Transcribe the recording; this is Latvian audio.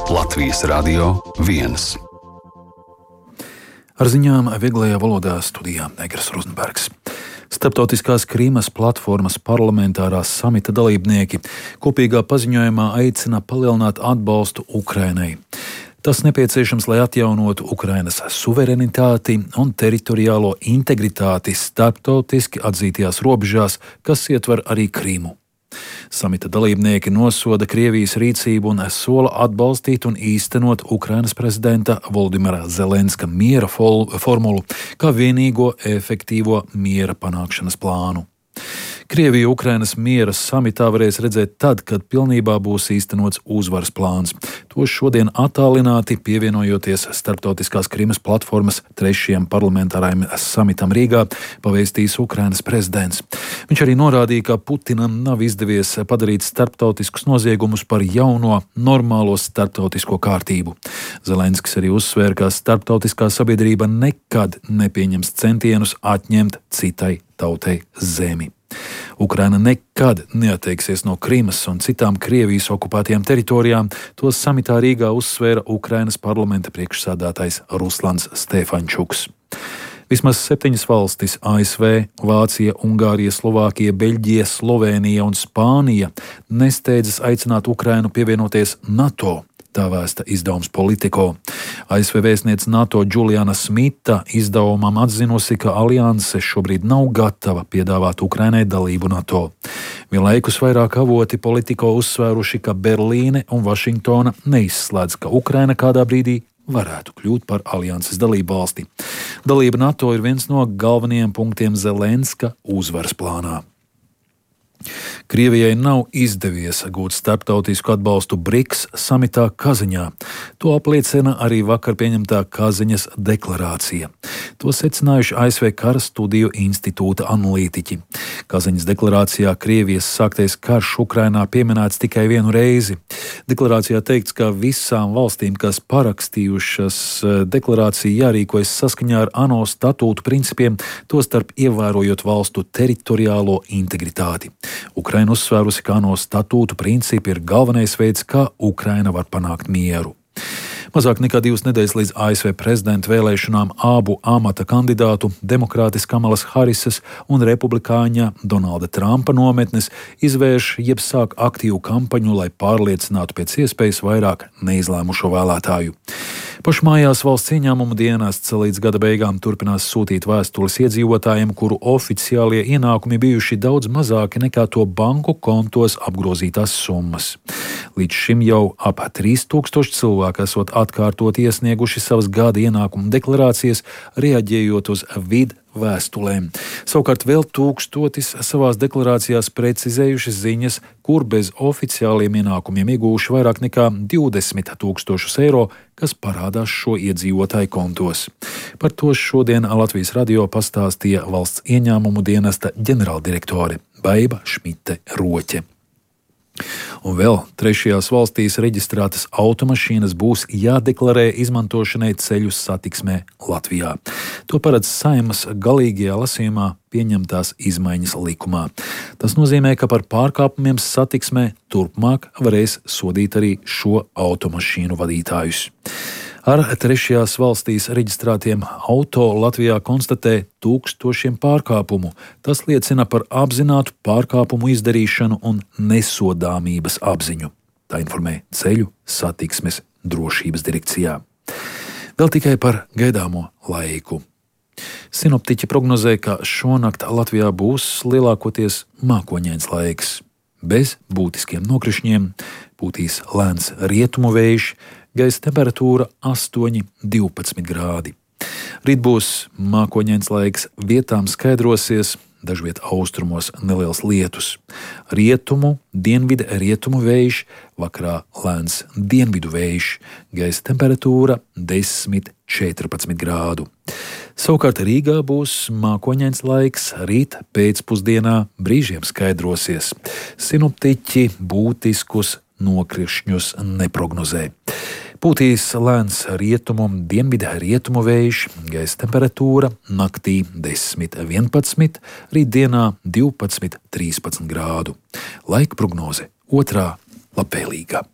Latvijas Radio 1. Ar ziņām vieglajā valodā studijā Egers Rozenbergs. Starptautiskās Krīmas platformas parlamentārās samita dalībnieki kopīgā paziņojumā aicina palielināt atbalstu Ukrainai. Tas nepieciešams, lai atjaunotu Ukrainas suverenitāti un teritoriālo integritāti starptautiski atzītajās robežās, kas ietver arī Krīmu. Samita dalībnieki nosoda Krievijas rīcību un sola atbalstīt un īstenot Ukrainas prezidenta Volodimira Zelenska miera formulu kā vienīgo efektīvo miera panākšanas plānu. Krievija Ukrainas miera samitā varēs redzēt tad, kad pilnībā būs īstenots uzvaras plāns. To šodien attālināti pievienojoties Starptautiskās Krīmas platformas 3. parlamentārajam samitam Rīgā, pavēstījis Ukrainas prezidents. Viņš arī norādīja, ka Putinam nav izdevies padarīt starptautiskus noziegumus par jauno, normālo starptautisko kārtību. Zelenskis arī uzsvēra, ka starptautiskā sabiedrība nekad nepieņems centienus atņemt citai tautai zemi. Ukraina nekad neatteiksies no Krimas un citām Krievijas okupētajām teritorijām, to samitā Rīgā uzsvēra Ukrainas parlamenta priekšsēdētājs Ruslans Stefančuks. Vismaz 7 valstis - ASV, Vācija, Ungārija, Slovākija, Beļģija, Slovēnija un Spānija - nesteidzas aicināt Ukrainu pievienoties NATO. Tā vēsta izdevums Politico. ASV vēstniece NATO Džuliana Smita izdevumam atzinusi, ka alianse šobrīd nav gatava piedāvāt Ukrainai dalību NATO. Vienlaikus vairāk avoti Politico uzsvēruši, ka Berlīne un Vašingtona neizslēdz, ka Ukraina kādā brīdī varētu kļūt par alianses dalību valsti. Dalība NATO ir viens no galvenajiem punktiem Zelenska uzvaras plānā. Krievijai nav izdevies gūt starptautisku atbalstu BRICS samitā Kaziņā. To apliecina arī vakar pieņemtā Kaziņas deklarācija. To secinājuši ASV Kara studiju institūta analītiķi. Kaziņas deklarācijā Krievijas sāktais karš Ukrainā pieminēts tikai vienu reizi. Deklarācijā teikts, ka visām valstīm, kas parakstījušas deklarāciju, jārīkojas saskaņā ar ANO statūtu principiem, tostarp ievērojot valstu teritoriālo integritāti. Ukraina uzsvērusi, ka ANO statūtu principi ir galvenais veids, kā Ukraina var panākt mieru. Mazāk nekā 2 nedēļas līdz ASV prezidenta vēlēšanām abu amata kandidātu, demokrātes Kamalas Harisas un republikāņa Donalda Trumpa nometnes izvērš jeb sāk aktīvu kampaņu, lai pārliecinātu pēc iespējas vairāk neizlēmušo vēlētāju. Pašmājās valsts ieņēmumu dienests līdz gada beigām turpinās sūtīt vēstules iedzīvotājiem, kuru oficiālie ienākumi bijuši daudz mazāki nekā to banku kontos apgrozītās summas. Līdz šim jau ap 3000 cilvēku esot atkārtot iesnieguši savas gada ienākumu deklarācijas, reaģējot uz vēstulēm. Savukārt vēl 1000 savās deklarācijās precizējuši ziņas, kur bez oficiāliem ienākumiem iegūši vairāk nekā 20 000 eiro, kas parādās šo iedzīvotāju kontos. Par to šodien Latvijas radio pastāstīja valsts ieņēmumu dienesta ģenerāldirektore Baiba Šmite Roķe. Un vēl 3. valstīs reģistrētas automašīnas būs jādeklarē izmantošanai ceļu satiksmē Latvijā. To paredz Saeimas galīgajā lasījumā pieņemtās izmaiņas likumā. Tas nozīmē, ka par pārkāpumiem satiksmē turpmāk varēs sodīt arī šo automašīnu vadītājus. Ar 3. valstīs reģistrētiem auto Latvijā konstatē 1000 pārkāpumu. Tas liecina par apzinātu pārkāpumu izdarīšanu un nesodāmības apziņu. Tā informē Ceļu satiksmes drošības direkcijā. Vēl tikai par gaidāmo laiku. Sinoptiķi prognozē, ka šonakt Latvijā būs lielākoties mākoņains laiks. Bez būtiskiem nokrišņiem, pūtīs lēns rietumu vējš, gaisa temperatūra 8–12 grādi. Rīt būs mākoņains laiks, vietām skaidrosies, dažviet austrumos neliels lietus. Rietumu, dienvidu rietumu vējš, vakarā lēns dienvidu vējš, gaisa temperatūra 10–14 grādu. Savukārt Rīgā būs mākoņains laiks, rīt pēcpusdienā brīžiem skaidrosies. Sinoptiķi būtiskus nokrišņus neprognozē. Pūtīs lēns rietumu, dienvidu rietumu vējš, gaisa temperatūra naktī 10–11, rītdienā 12–13 grādu. Laika prognoze 2. labvēlīga.